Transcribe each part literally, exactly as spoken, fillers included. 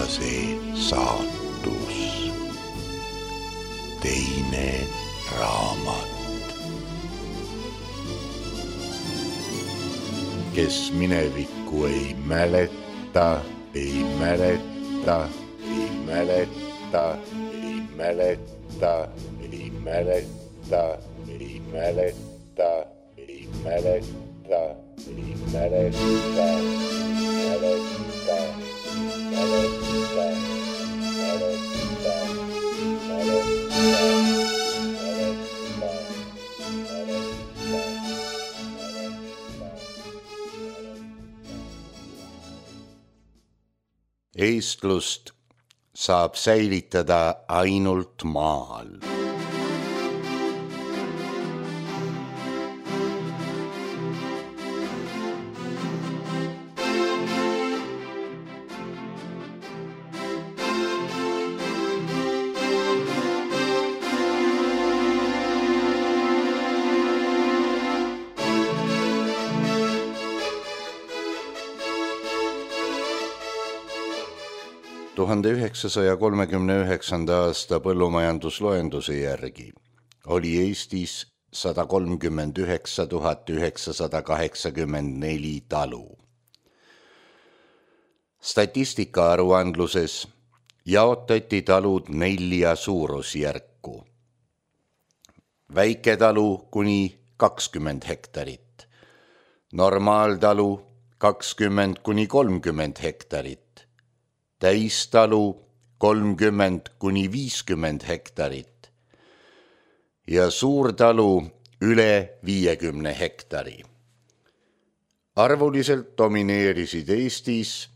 see saatus, teine raamat. Kes minevikku ei mäleta, ei mäleta, ei mäleta, ei mäleta, ei mäleta, ei mäleta, ei mäleta, ei mäleta, mäleta, mäleta, mäleta, eestlust saab säilitada ainult maal. tuhande üheksasaja kolmekümne üheksanda aasta põllumajandusloenduse järgi oli Eestis sada kolmkümmend üheksa tuhat üheksasada kaheksakümmend neli talu. Statistika aruandluses jaotati talud nelja suurusjärku. Väiketalu kuni kakskümmend hektarit, normaaltalu kakskümmend kuni kolmkümmend hektarit, täistalu kolmkümmend kuni viiskümmend hektarit ja suurtalu üle viiekümne hektari. Arvuliselt domineerisid Eestis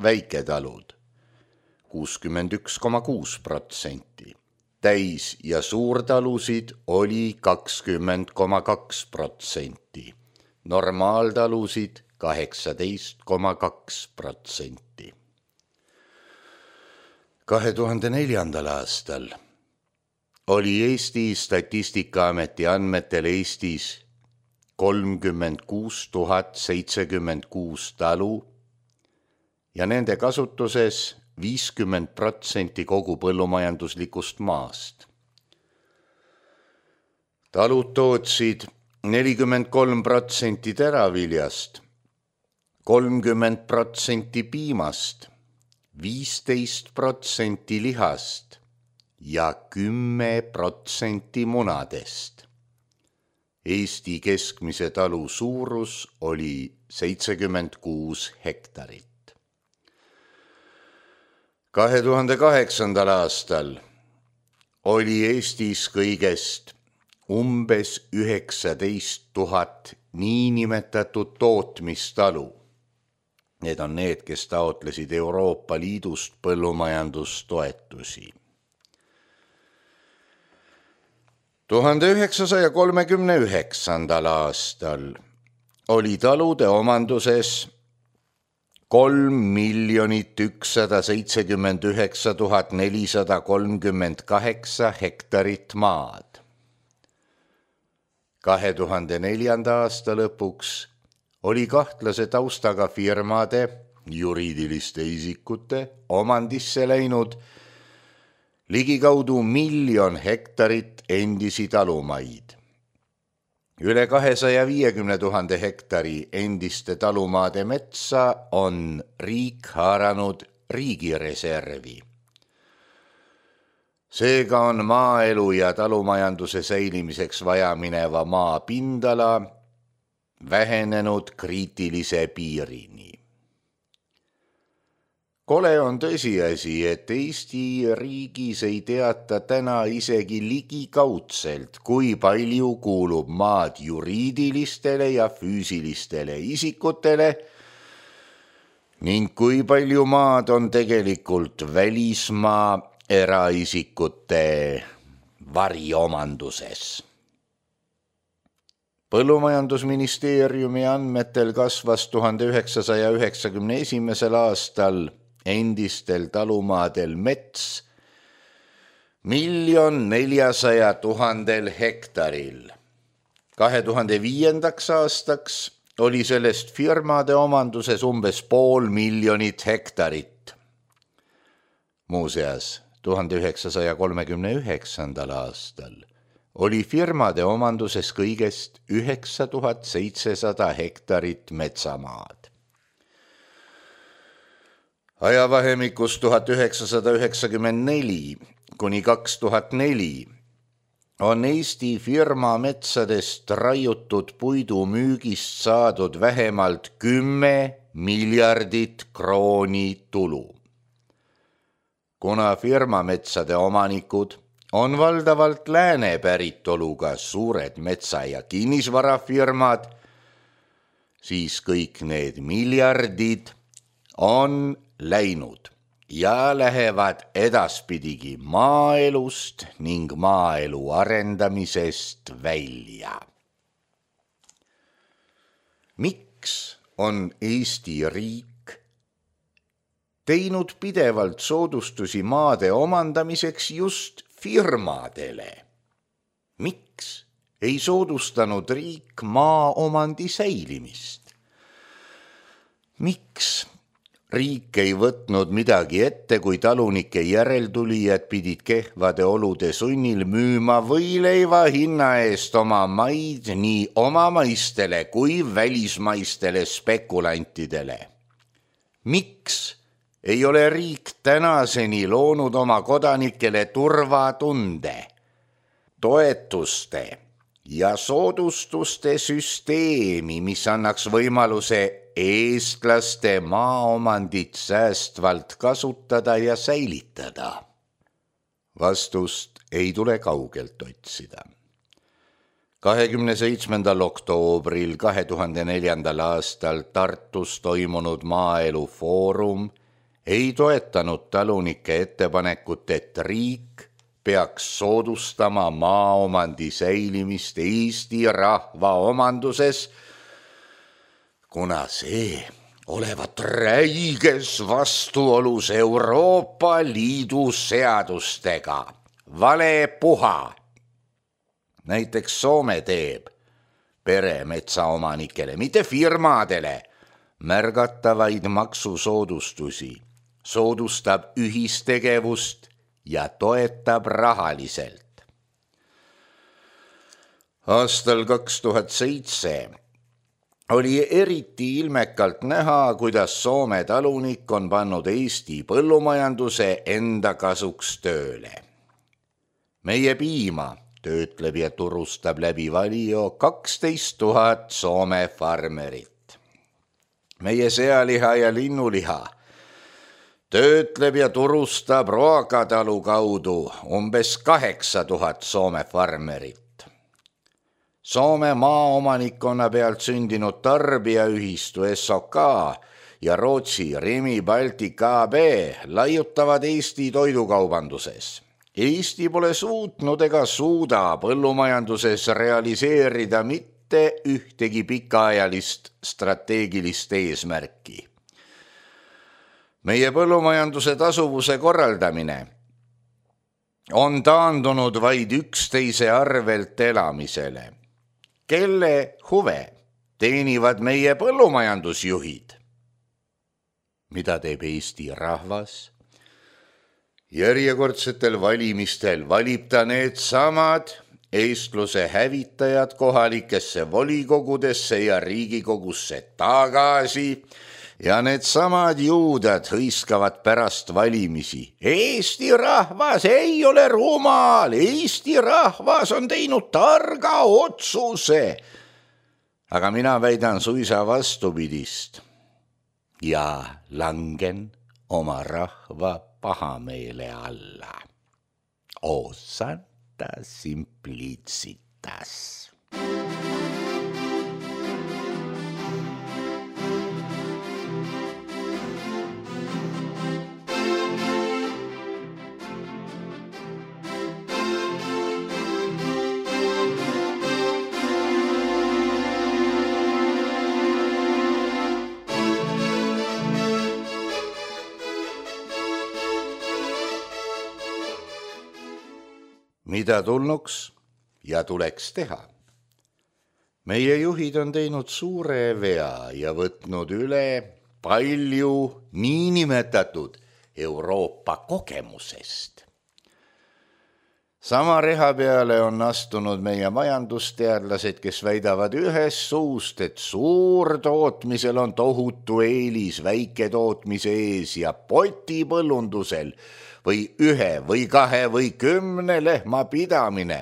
väiketalud kuuskümmend üks koma kuus protsenti, täis- ja suurtalusid oli kakskümmend koma kaks protsenti, normaaltalusid kaheksateist koma kaks protsenti. kahe tuhande neljandal aastal oli Eesti Statistikaameti andmetel Eestis kolmkümmend kuus tuhat seitsekümmend kuus talu ja nende kasutuses viiskümmend protsenti kogu põllumajanduslikust maast. Talud tootsid nelikümmend kolm protsenti teraviljast, kolmkümmend protsenti piimast, viisteist protsenti lihast ja kümme protsenti munadest. Eesti keskmise talu suurus oli seitsekümmend kuus hektarit. kahe tuhande kaheksandal aastal oli Eestis kõigest umbes üheksateist tuhat niinimetatud tootmistalu. Need on need, kes taotlesid Euroopa Liidust põllumajandustoetusi. tuhande üheksasaja kolmekümne üheksandal aastal oli talude omanduses kolm miljonit ükssada seitsekümmend üheksa tuhat nelisada kolmkümmend kaheksa hektarit maad. kahe tuhande neljanda aasta lõpuks oli kahtlase taustaga firmade, juriidiliste isikute omandisse läinud ligikaudu miljon hektarit endisi talumaid. Üle kahesaja viiekümne tuhande hektari endiste talumaade metsa on riik haaranud riigireservi. Seega on maaelu ja talumajanduse säilimiseks vaja mineva maa pindala vähenenud kriitilise piirini. Kole on tõsiasi, et Eesti riigis ei teata täna isegi ligikaudselt, kui palju kuulub maad juriidilistele ja füüsilistele isikutele ning kui palju maad on tegelikult välismaa eraisikute variomanduses. Põllumajandusministeeriumi andmetel kasvas tuhande üheksasaja üheksakümne esimesel aastal endistel talumaadel mets miljon neljasaja tuhandel hektaril. kahe tuhande viiendaks aastaks oli sellest firmade omanduses umbes pool miljonit hektarit. Muuseas, tuhande üheksasaja kolmekümne üheksandal aastal oli firmade omanduses kõigest üheksa tuhat seitsesada hektarit metsamaad. Ajavahemikus tuhat üheksasada üheksakümmend neli kuni kaks tuhat neli on Eesti firma metsadest raiutud puidu müügist saadud vähemalt kümme miljardit krooni tulu. Kuna firma metsade omanikud on valdavalt lääne päritoluga suured metsa- ja kinnisvarafirmad, siis kõik need miljardid on läinud ja lähevad edaspidigi maaelust ning maaelu arendamisest välja. Miks on Eesti riik teinud pidevalt soodustusi maade omandamiseks just firmadele? Miks ei soodustanud riik maaomandi säilimist? Miks riik ei võtnud midagi ette, kui talunike järeltulijad pidid kehvade olude sunnil müüma võileiva hinna eest oma maid nii omamaistele kui välismaistele spekulantidele? Miks ei ole riik tänaseni loonud oma kodanikele turvatunde, toetuste ja soodustuste süsteemi, mis annaks võimaluse eestlaste maaomandit säästvalt kasutada ja säilitada? Vastust ei tule kaugelt otsida. kahekümne seitsmendal oktoobril kahe tuhande neljandal aastal Tartus toimunud maaelu foorum ei toetanud talunike ettepanekut, et riik peaks soodustama maaomandi säilimist Eesti rahva omanduses, kuna see olevat räiges vastuolus Euroopa Liidu seadustega. Vale puha. Näiteks Soome teeb peremetsaomanikele, mitte firmadele, märgatavaid maksusoodustusi, soodustab ühistegevust ja toetab rahaliselt. Aastal kaks tuhat seitse oli eriti ilmekalt näha, kuidas Soome talunik on pannud Eesti põllumajanduse enda kasuks tööle. Meie piima töötleb ja turustab läbi Valio kaksteist tuhat Soome farmerit. Meie sealiha ja linnuliha töötleb ja turustab Roakatalu kaudu umbes kaheksa tuhat Soome farmerit. Soome maaomanikkonna pealt sündinud tarbijaühistu S O K ja Rootsi Rimi Baltic A B laiutavad Eesti toidukaubanduses. Eesti pole suutnud ega suuda põllumajanduses realiseerida mitte ühtegi pikaajalist strateegilist eesmärki. Meie põllumajanduse tasuvuse korraldamine on taandunud vaid üksteise arvelt elamisele. Kelle huve teenivad meie põllumajandusjuhid? Mida teeb Eesti rahvas? Järjekordsetel valimistel valib ta need samad eestluse hävitajad kohalikesse volikogudesse ja riigikogusse tagasi ja need samad juudad hõiskavad pärast valimisi. Eesti rahvas ei ole rumal, Eesti rahvas on teinud targa otsuse. Aga mina väidan suisa vastupidist ja langen oma rahva pahameele alla. O santa simplicitas. Mida tulnuks ja tuleks teha? Meie juhid on teinud suure vea ja võtnud üle palju niinimetatud Euroopa kogemusest. Sama reha peale on astunud meie majandusteadlased, kes väidavad ühes suust, et suurtootmisel on tohutu eelis väiketootmise ees ja potipõllundusel või ühe või kahe või kümne lehma pidamine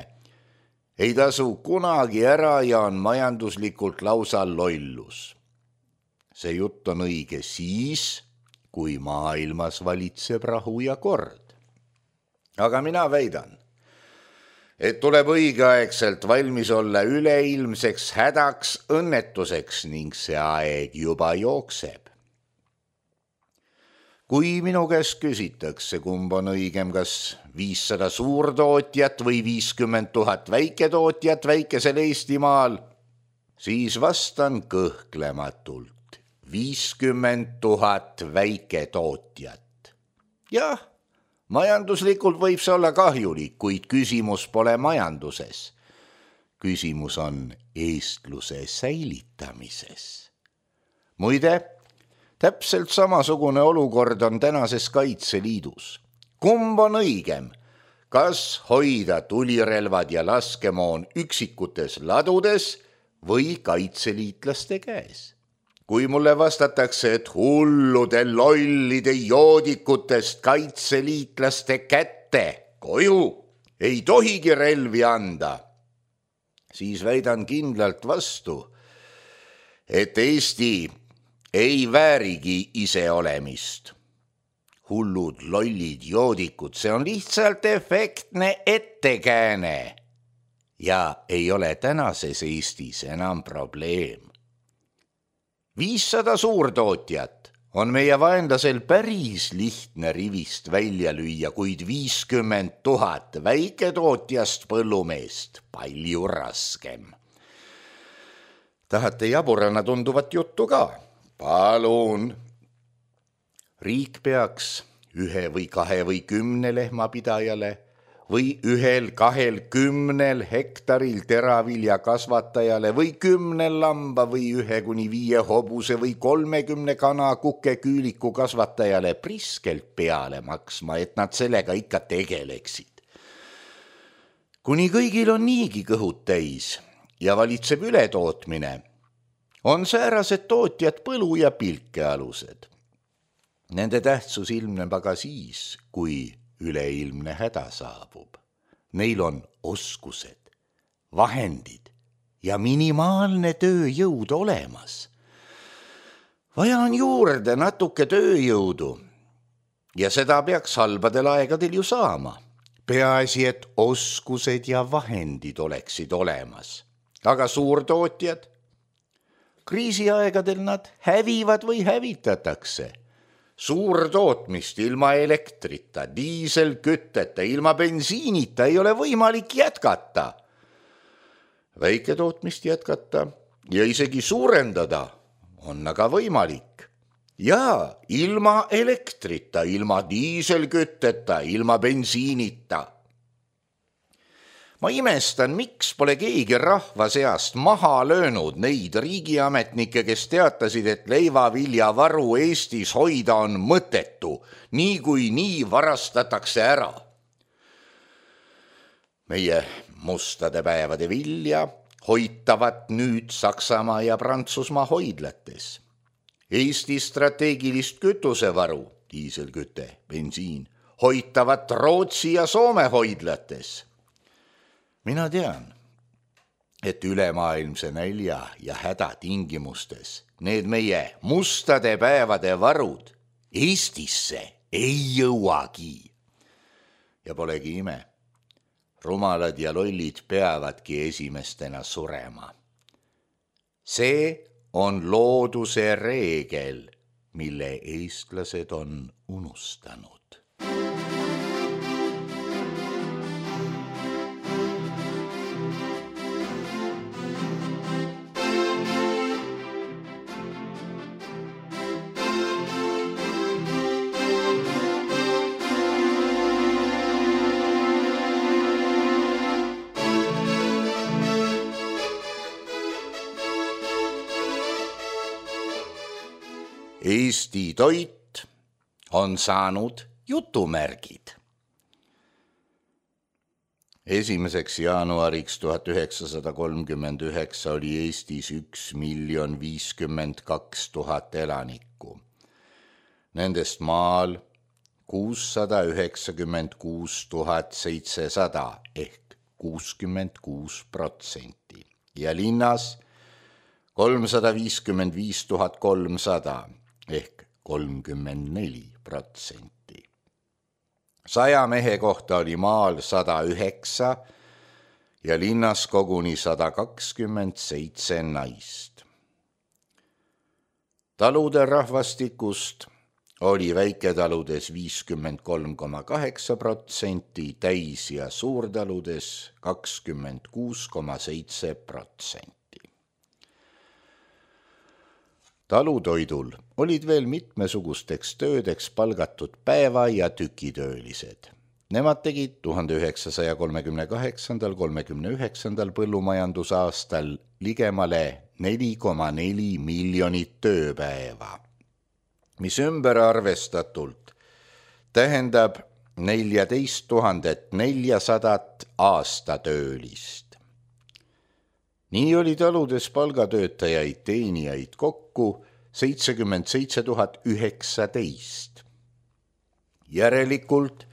ei tasu kunagi ära ja on majanduslikult lausa lollus. See jutt on õige siis, kui maailmas valitseb rahu ja kord. Aga mina väidan, et tuleb õigeaegselt valmis olla üleilmseks hädaks õnnetuseks ning see aeg juba jookseb. Kui minu käest küsitakse, kumb on õigem, kas viissada suurtootjat või viiskümmend tuhat väiketootjat väikesel Eestimaal, siis vastan kõhklematult viiskümmend tuhat väiketootjat. Jah, majanduslikult võib see olla kahjulik, kuid küsimus pole majanduses. Küsimus on eestluse säilitamises. Muide, täpselt samasugune olukord on tänases Kaitseliidus. Kumb on õigem? Kas hoida tulirelvad ja laskemoon üksikutes ladudes või kaitseliitlaste käes? Kui mulle vastatakse, et hullude lollide joodikutest kaitseliitlaste kätte koju ei tohigi relvi anda, siis väidan kindlalt vastu, et Eesti ei väärigi iseolemist. Hullud lollid joodikud, see on lihtsalt efektne ettekääne ja ei ole tänases Eestis enam probleem. viissada suurtootjat on meie vaenlasel päris lihtne rivist välja lüüa, kuid viiskümmend tuhat väiketootjast põllumeest palju raskem. Tahate jaburana tunduvat juttu ka? Palun. Riik peaks ühe või kahe või kümne lehmapidajale või ühel kahel kümnel hektaril teravilja kasvatajale või kümnel lamba või ühe kuni viie hobuse või kolmekümne kana kuke küüliku kasvatajale priskelt peale maksma, et nad sellega ikka tegeleksid. Kuni kõigil on niigi kõhud täis ja valitseb ületootmine, on säärased tootjad põlu- ja pilkealused. Nende tähtsus ilmneb aga siis, kui üleilmne häda saabub. Neil on oskused, vahendid ja minimaalne tööjõud olemas. Vaja on juurde natuke tööjõudu ja seda peaks halbadel aegadel ju saama. Peaasi, et oskused ja vahendid oleksid olemas. Aga suurtootjad? Kriisiaegadel nad hävivad või hävitatakse. Suurtootmist ilma elektrita, diiselkütteta, ilma bensiinita ei ole võimalik jätkata. Väiketootmist jätkata ja isegi suurendada on aga võimalik. Ja ilma elektrita, ilma diiselkütteta, ilma bensiinita. Ma imestan, miks pole keegi rahva seast maha löönud neid riigiametnikke, kes teatasid, et leivaviljavaru Eestis hoida on mõttetu, nii kui nii varastatakse ära. Meie mustade päevade vilja hoitavad nüüd Saksamaa ja Prantsusmaa hoidlates. Eesti strateegilist kütusevaru, diiselküte, bensiin, hoitavad Rootsi ja Soome hoidlates. Mina tean, et ülemaailmse nälja ja häda tingimustes need meie mustade päevade varud Eestisse ei jõuagi. Ja polegi ime, rumalad ja lollid peavadki esimestena surema. See on looduse reegel, mille eestlased on unustanud. Eesti toit on saanud jutumärgid. Esimeseks jaanuariks tuhat üheksasada kolmkümmend üheksa oli Eestis üks miljon viiskümmend kaks tuhat elanikku. Nendest maal kuussada üheksakümmend kuus tuhat seitsesada ehk kuuskümmend kuus protsenti ja linnas kolmsada viiskümmend viis tuhat kolmsada ehk kolmkümmend neli protsenti. Saja mehe kohta oli maal sada üheksa ja linnas koguni sada kakskümmend seitse naist. Talude rahvastikust oli väiketaludes viiskümmend kolm koma kaheksa protsenti, täis- ja suurtaludes kakskümmend kuus koma seitse protsenti. Talutoidul olid veel mitmesugusteks töödeks palgatud päeva- ja tükitöölised. Nemad tegid tuhande üheksasaja kolmekümne kaheksandal kolmekümne üheksandal põllumajandusaastal ligemale neli koma neli miljonit tööpäeva, mis ümber arvestatult tähendab neljateist tuhandet neljasadat aastatöölist. Nii oli taludes palgatöötajaid teenijaid kokku seitsekümmend seitse tuhat üheksateist. Järelikult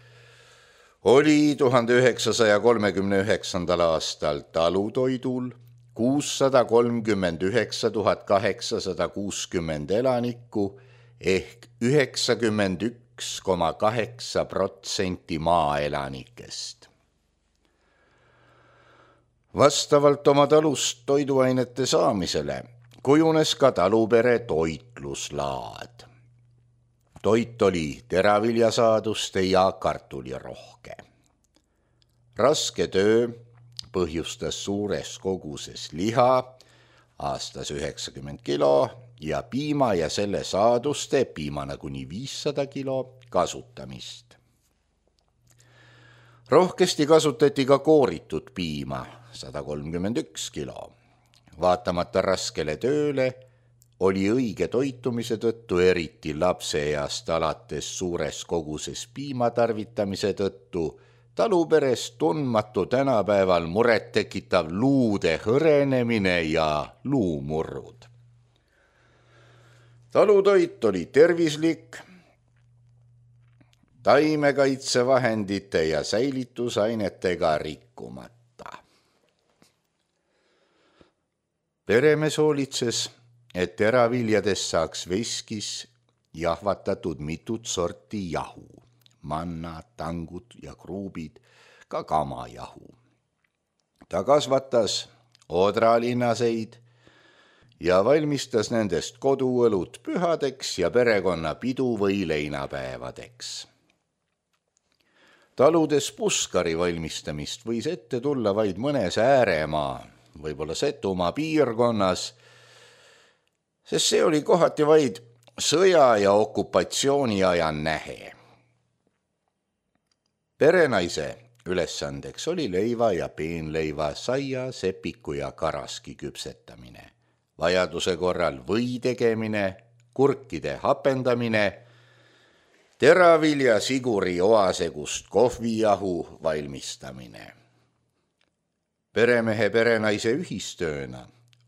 oli tuhande üheksasaja kolmekümne üheksandal aastal talutoidul kuussada kolmkümmend üheksa tuhat kaheksasada kuuskümmend elanikku ehk üheksakümmend üks koma kaheksa protsenti maaelanikest. Vastavalt oma talust toiduainete saamisele kujunes ka talupere toitluslaad. Toit oli teraviljasaaduste ja kartulirohke. Raske töö põhjustas suures koguses liha, aastas üheksakümmend kilo, ja piima ja selle saaduste, piimana kuni viissada kilo, kasutamist. Rohkesti kasutati ka kooritud piima, sada kolmkümmend üks kilo. Vaatamata raskele tööle oli õige toitumise tõttu, eriti lapseeast alates suures koguses piima tarvitamise tõttu, taluperes tundmatu tänapäeval muret tekitav luude hõrenemine ja luumurrud. Talutoit oli tervislik, taimekaitsevahendite ja säilitusainetega rikkumata. Peremees hoolitses, et teraviljadest saaks veskis jahvatatud mitut sorti jahu, manna, tangud ja kruubid, ka kamajahu. Ta kasvatas odralinaseid ja valmistas nendest koduõlut pühadeks ja perekonna pidu- või leinapäevadeks. Taludes puskari valmistamist võis ette tulla vaid mõnes ääremaa, võib-olla Setumaa piirkonnas, sest see oli kohati vaid sõja- ja okupatsiooniaja nähe. Perenaise ülesandeks oli leiva ja peenleiva, saia, sepiku ja karaski küpsetamine, vajaduse korral või tegemine, kurkide hapendamine, teravilja siguri oasegust kohvijahu valmistamine. Peremehe perenaise ühistööna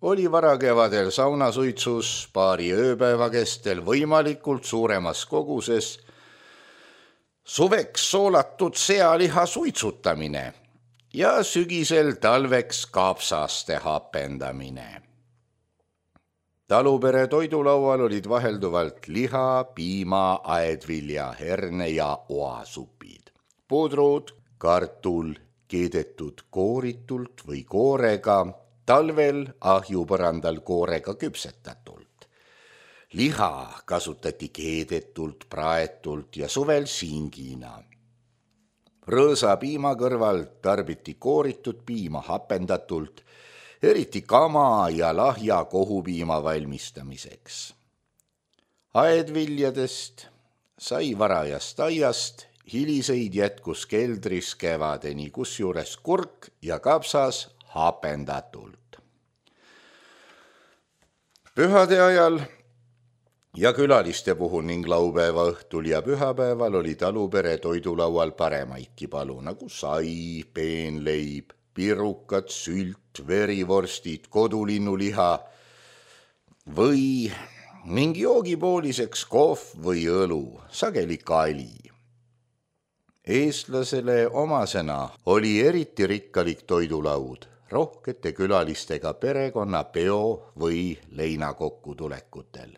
oli varakevadel saunasuitsus paari ööpäeva kestel võimalikult suuremas koguses suveks soolatud sealiha suitsutamine ja sügisel talveks kaapsaste hapendamine. Talupere toidulaual olid vahelduvalt liha, piima, aedvilja, herne ja oasupid, pudrud, kartul, keedetud kooritult või koorega, talvel ahjupõrandal koorega küpsetatult. Liha kasutati keedetult, praetult ja suvel singina. Rõõsa piima kõrval tarbiti kooritud piima hapendatult, eriti kama ja lahja kohupiima valmistamiseks. Aedviljadest sai varajast aiast, hiliseid jätkus keldris kevadeni, kusjuures kurk ja kapsas hapendatult. Pühade ajal ja külaliste puhul ning laupäeva õhtul ja pühapäeval oli talupere toidulaual paremaidki palu, nagu sai, peenleib, pirukad, sült, verivorstid, kodulinnuliha või mingi joogipooliseks kohv või õlu, sageli kali. Eestlasele omasena oli eriti rikkalik toidulaud rohkete külalistega perekonna peo või leinakokkutulekutel.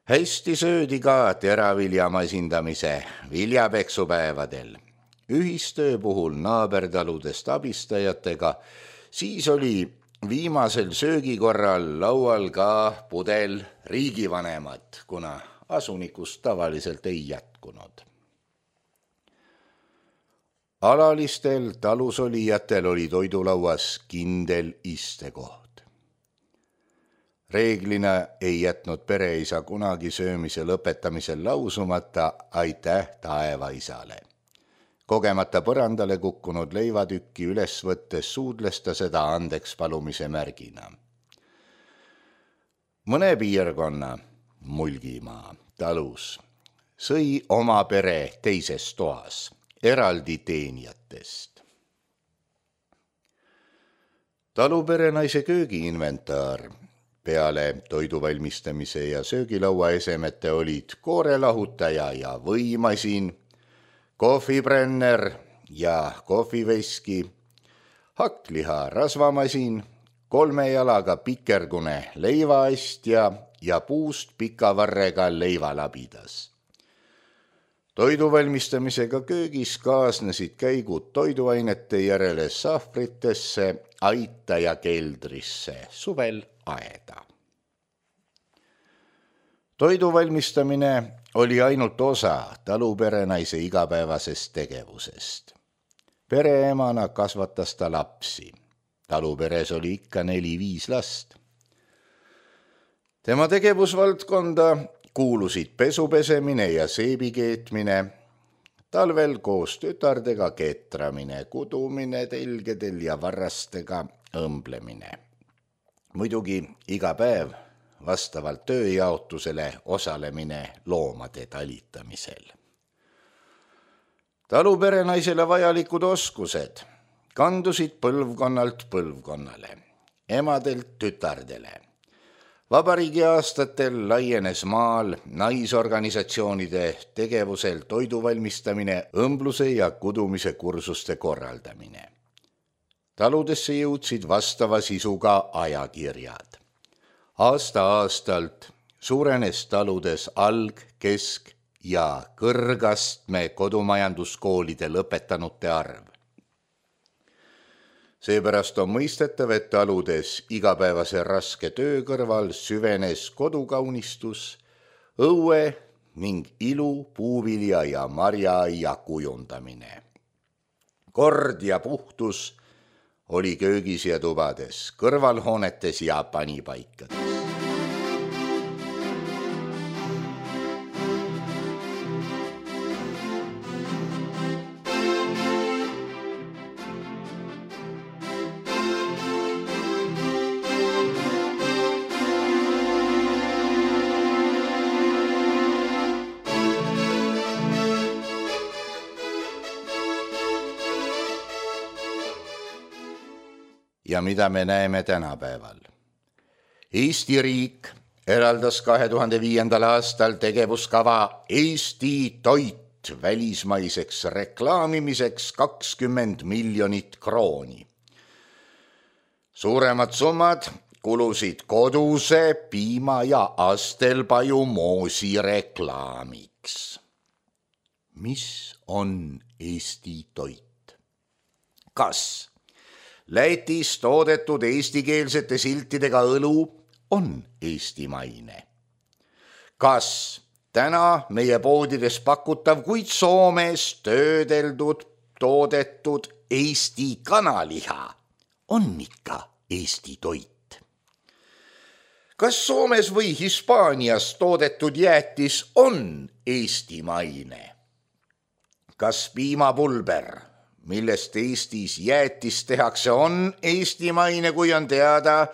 Hästi söödi ka teraviljamasindamise viljapeksupäevadel. Ühistöö puhul naabertaludest abistajatega, siis oli viimasel söögikorral laual ka pudel riigivanemat, kuna asunikust tavaliselt ei jätkunud. Alalistel talusolijatel oli toidulauas kindel istekoht. Reeglina ei jätnud pereisa kunagi söömise lõpetamisel lausumata aitäh taevaisale. Kogemata põrandale kukkunud leivatükki üles võttes suudles ta seda andeks palumise märgina. Mõne piirkonna, Mulgimaa, talus sõi oma pere teises toas, eraldi teenijatest. Talupere naise köögiinventaar peale toidu valmistamise ja söögilaua esemete olid koorelahutaja ja võimasin, kohvibrenner ja kohviveski, hakkliha rasvamasin, kolme jalaga pikergune leivaastja ja puust pika varrega leivalabidas. Toidu valmistamisega köögis kaasnesid käigud toiduainete järele sahvritesse, aita ja keldrisse, suvel aeda. Toidu valmistamine oli ainult osa taluperenaise igapäevasest tegevusest. Pereemana kasvatas ta lapsi. Taluperes oli ikka neli-viis last. Tema tegevusvaldkonda kuulusid pesupesemine ja seebi keetmine, talvel koos tütardega ketramine, kudumine telgedel ja varrastega õmblemine. Muidugi iga päev vastavalt tööjaotusele osalemine loomade talitamisel. Taluperenaisele vajalikud oskused kandusid põlvkonnalt põlvkonnale, emadelt tütardele. Vabariigi aastatel laienes maal naisorganisatsioonide tegevusel toidu valmistamine, õmbluse ja kudumise kursuste korraldamine. Taludesse jõudsid vastava sisuga ajakirjad. Aasta-aastalt suurenes taludes alg-, kesk- ja kõrgastme kodumajanduskoolide lõpetanute arv. Seepärast on mõistetav, et taludes igapäevase raske töö kõrval süvenes kodukaunistus, õue ning ilu, puuvilja ja marjaaia kujundamine. Kord ja puhtus oli köögis ja tubades, kõrvalhoonetes ja panipaikades. Ja mida me näeme tänapäeval? Eesti riik eraldas kahe tuhande viiendal aastal tegevuskava Eesti toit välismaiseks reklaamimiseks kakskümmend miljonit krooni. Suuremad summad kulusid koduse piima ja astelpaju moosi reklaamiks. Mis on Eesti toit? Kas Lätis toodetud eestikeelsete siltidega õlu on eestimaine? Kas täna meie poodides pakutav, kuid Soomes töödeldud, toodetud Eesti kanaliha on ikka Eesti toit? Kas Soomes või Hispaanias toodetud jäätis on eestimaine? Kas piimapulber, millest Eestis jäätis tehakse, on eestimaine, kui on teada,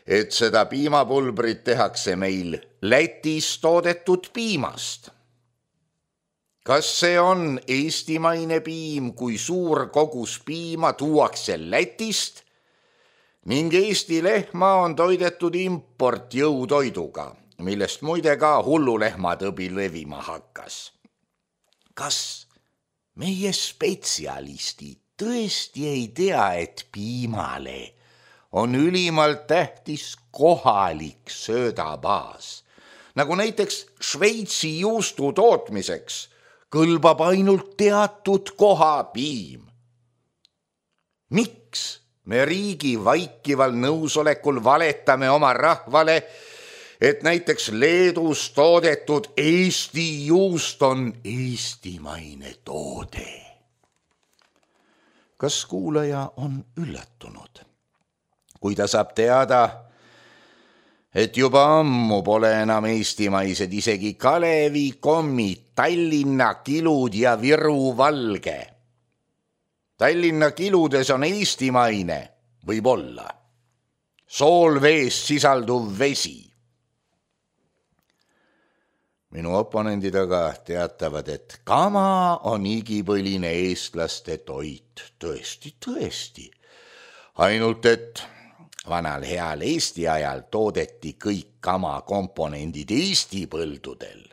et seda piimapulbrit tehakse meil Lätis toodetud piimast. Kas see on eestimaine piim, kui suur kogus piima tuuakse Lätist ning Eesti lehma on toidetud importjõutoiduga, millest muide ka hullulehmatõbi levima hakkas? Kas meie spetsialistid tõesti ei tea, et piimale on ülimalt tähtis kohalik söödabaas, nagu näiteks Šveitsi juustu tootmiseks kõlbab ainult teatud koha piim? Miks me riigi vaikival nõusolekul valetame oma rahvale, et näiteks Leedus toodetud Eesti juust on eestimaine toode? Kas kuulaja on üllatunud, kui ta saab teada, et juba ammu pole enam eestimaised isegi Kalevi kommid, Tallinna kilud ja Viru valge? Tallinna kiludes on eestimaine, võib-olla, soolveest sisalduv vesi. Minu oponendid aga teatavad, et kama on igipõline eestlaste toit. Tõesti, tõesti. Ainult, et vanal heal Eesti ajal toodeti kõik kama komponendid Eesti põldudel.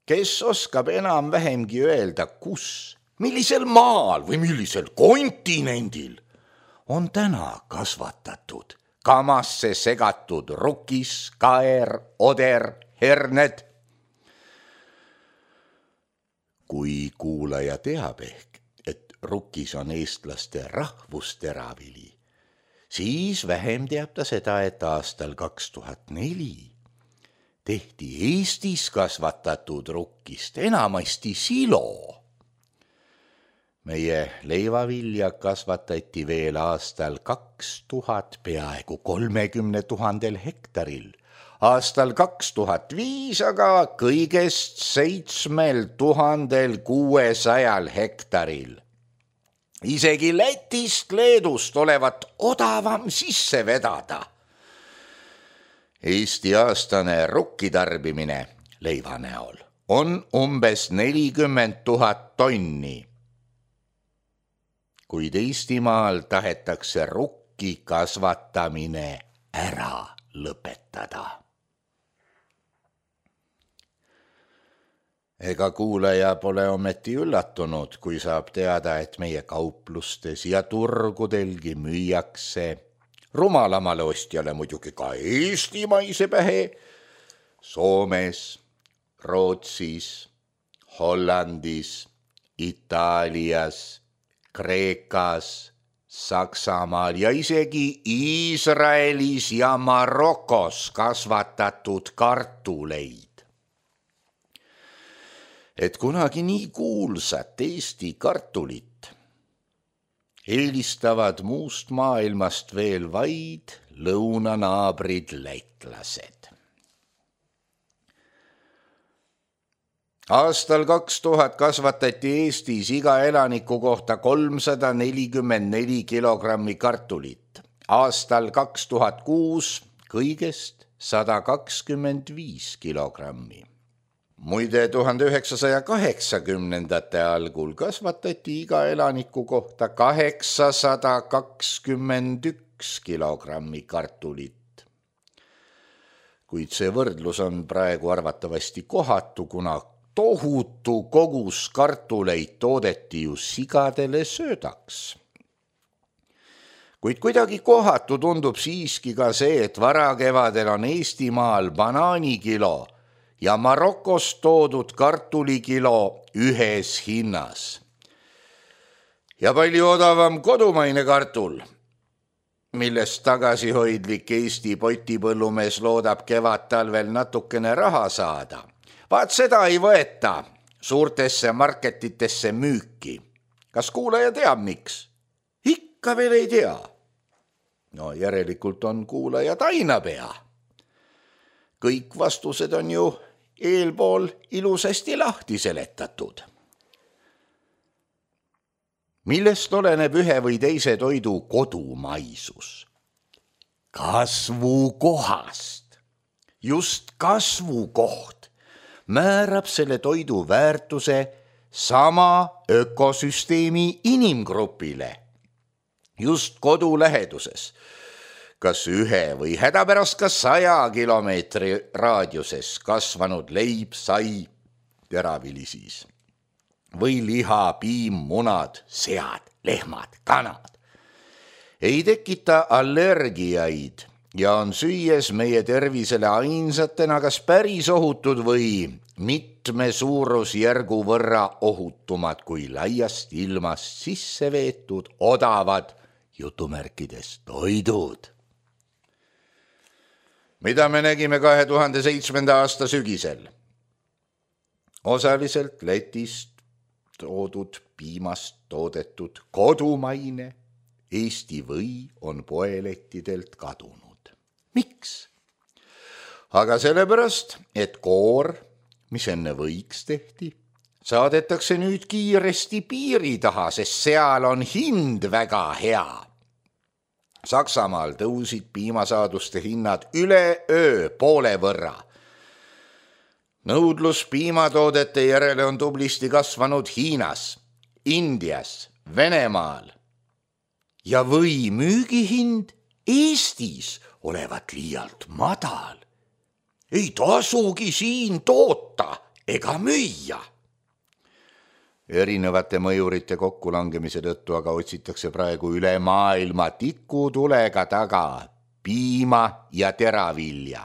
Kes oskab enam vähemgi öelda, kus, millisel maal või millisel kontinendil on täna kasvatatud kamasse segatud rukis, kaer, oder, herned? Kui kuulaja teab ehk, et rukis on eestlaste rahvusteravili, siis vähem teab ta seda, et aastal kaks tuhat neli tehti Eestis kasvatatud rukkist enamasti silo. Meie leivavilja kasvatati veel aastal kaks tuhat peaaegu kolmekümne tuhandel hektaril, aastal kaks tuhat viis aga kõigest seitsmel tuhandel kuuesajal hektaril. Isegi Lätist, Leedust olevat odavam sisse vedada. Eesti aastane rukkitarbimine leiva näol on umbes nelikümmend tuhat tonni. Kuid Eestimaal tahetakse rukki kasvatamine ära lõpetada. Ega kuulaja pole ometi üllatunud, kui saab teada, et meie kauplustes ja turgudelgi müüakse rumalamale ostjale muidugi ka eestimaise pähe Soomes, Rootsis, Hollandis, Itaalias, Kreekas, Saksamaal ja isegi Iisraelis ja Marokos kasvatatud kartuleid. Et kunagi nii kuulsat Eesti kartulit eelistavad muust maailmast veel vaid lõunanaabrid lätlased. Aastal kaks tuhat kasvatati Eestis iga elaniku kohta kolmsada nelikümmend neli kilogrammi kartulit, aastal kaks tuhat kuus kõigest sada kakskümmend viis kilogrammi. Muide, tuhande üheksasaja kaheksakümnendate algul kasvatati iga elaniku kohta kaheksasada kakskümmend üks kilogrammi kartulit. Kuid see võrdlus on praegu arvatavasti kohatu, kuna tohutu kogus kartuleid toodeti ju sigadele söödaks. Kuid kuidagi kohatu tundub siiski ka see, et varakevadel on Eestimaal banaanikilo ja Marokost toodud kartulikilo ühes hinnas. Ja palju odavam kodumaine kartul, millest tagasihoidlik Eesti potipõllumees loodab kevad-talvel natukene raha saada. Vaat seda ei võeta suurtesse marketitesse müüki. Kas kuulaja teab, miks? Ikka veel ei tea. No järelikult on kuulaja tainapea. Kõik vastused on ju eelpool ilusasti lahti seletatud. Millest oleneb ühe või teise toidu kodumaisus? Kasvukohast. Just kasvukoht määrab selle toidu väärtuse sama ökosüsteemi inimgrupile. Just kodu läheduses, kas ühe või hädapärast ka saja kilomeetri raadiuses kasvanud leib, sai, teravili siis. Või liha, piim, munad, sead, lehmad, kanad. Ei tekita allergiaid ja on süües meie tervisele ainsatena kas päris ohutud või mitme suurusjärgu võrra ohutumad kui laiast ilmast sisse veetud odavad jutumärkides toidud. Mida me nägime kahe tuhande seitsmenda aasta sügisel? Osaliselt Lätist toodud piimast toodetud kodumaine Eesti või on poelettidelt kadunud. Miks? Aga sellepärast, et koor, mis enne võiks tehti, saadetakse nüüd kiiresti piiri taha, sest seal on hind väga hea. Saksamaal tõusid piimasaaduste hinnad üle öö poole võrra. Nõudlus piimatoodete järele on tublisti kasvanud Hiinas, Indias, Venemaal ja või müügihind Eestis olevat liialt madal. Ei tasugi siin toota ega müüa. Erinevate mõjurite kokkulangemise tõttu aga otsitakse praegu üle maailma tikutulega taga piima ja teravilja.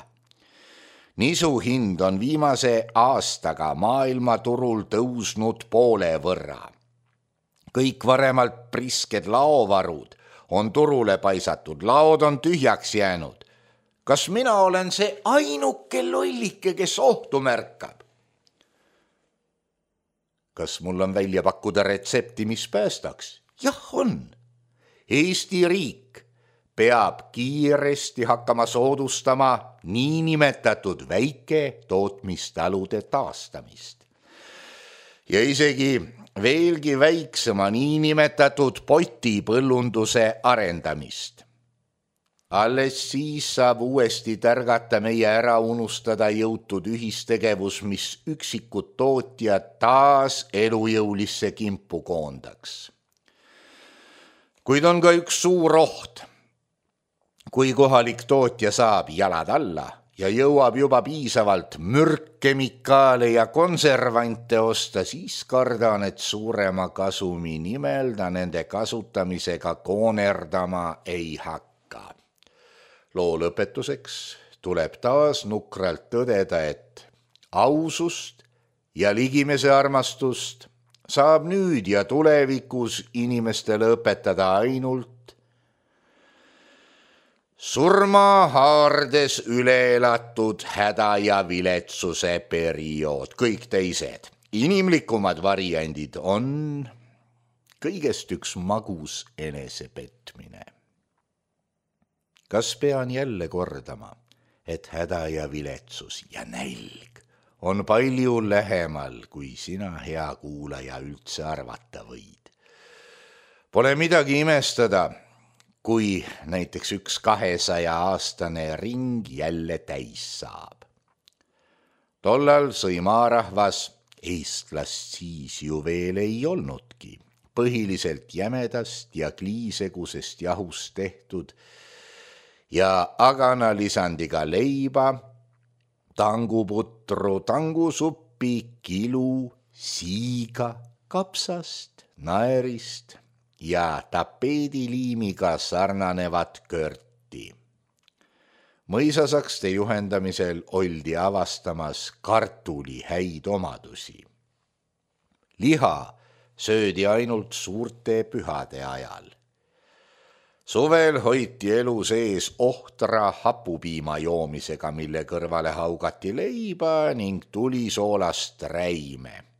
Nisu hind on viimase aastaga maailmaturul tõusnud poole võrra. Kõik varemalt prisked laovarud on turule paisatud, laod on tühjaks jäänud. Kas mina olen see ainuke lollike, kes ohtu märkab? Kas mul on välja pakkuda retsepti, mis päästaks? Jah, on. Eesti riik peab kiiresti hakkama soodustama niinimetatud väike tootmistalude taastamist. Ja isegi veelgi väiksema niinimetatud potipõllunduse arendamist. Alles siis saab uuesti tärgata meie ära unustada jõutud ühistegevus, mis üksikud tootjad taas elujõulisse kimpu koondaks. Kuid on ka üks suur oht. Kui kohalik tootja saab jalad alla ja jõuab juba piisavalt mürkkemikaale ja konservante osta, siis kardan, et suurema kasumi nimel ta nende kasutamisega koonerdama ei hakka. Loo lõpetuseks tuleb taas nukralt tõdeda, et ausust ja ligimese armastust saab nüüd ja tulevikus inimestele õpetada ainult surma haardes üle elatud häda ja viletsuse periood. Kõik teised inimlikumad variandid on kõigest üks magus enesepetmine. Kas pean jälle kordama, et häda ja viletsus ja nälg on palju lähemal, kui sina, hea kuulaja, üldse arvata võid? Pole midagi imestada, kui näiteks üks kahesaja aastane ring jälle täis saab. Tollal sõi maarahvas, eestlast siis ju veel ei olnudki, põhiliselt jämedast ja kliisegusest jahust tehtud ja agana lisandiga leiba, tanguputru, tangusuppi, kilu, siiga, kapsast, naerist ja tapeediliimiga sarnanevat körti. Mõisasakste juhendamisel oldi avastamas kartuli häid omadusi. Liha söödi ainult suurte pühade ajal. Suvel hoiti elu sees ohtra hapupiima joomisega, mille kõrvale haugati leiba ning tulisoolast räime.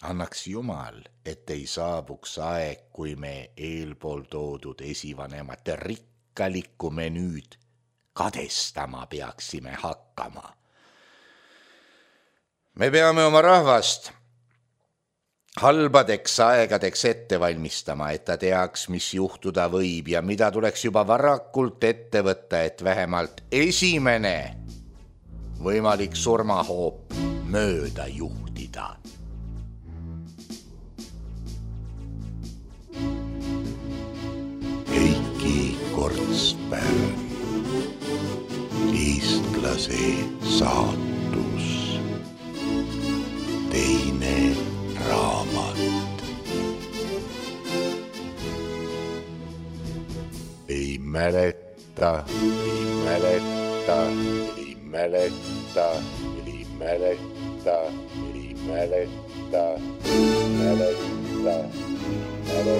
Annaks Jumal, et ei saabuks aeg, kui me eelpool toodud esivanemate rikkalikku menüüd kadestama peaksime hakkama. Me peame oma rahvast halbadeks aegadeks ette valmistama, et ta teaks, mis juhtuda võib ja mida tuleks juba varakult ette võtta, et vähemalt esimene võimalik surmahoop mööda juhtida. Heiki Kortspärn, eestlase saatus, teine raamat. Ei mäleta, ei mäleta, ei mäleta, ei mäleta, ei mäleta, mäleta, mäleta.